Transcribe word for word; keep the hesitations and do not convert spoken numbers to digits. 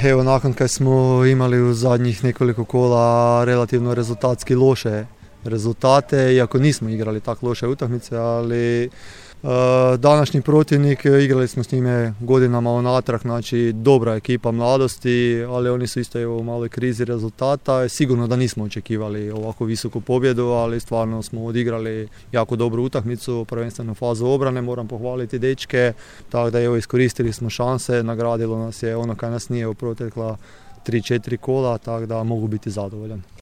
evo nakon kad smo imali u zadnjih nekoliko kola relativno rezultatski loše rezultate, iako nismo igrali tako loše utakmice, ali uh, današnji protivnik, igrali smo s njime godinama unatrag, znači dobra ekipa mladosti, ali oni su isto evo, u maloj krizi rezultata. Sigurno da nismo očekivali ovako visoku pobjedu, ali stvarno smo odigrali jako dobru utakmicu, prvenstveno fazu obrane, moram pohvaliti dečke, tako da evo, iskoristili smo šanse, nagradilo nas je ono kad nas nije u protekla tri četiri kola, tako da mogu biti zadovoljan.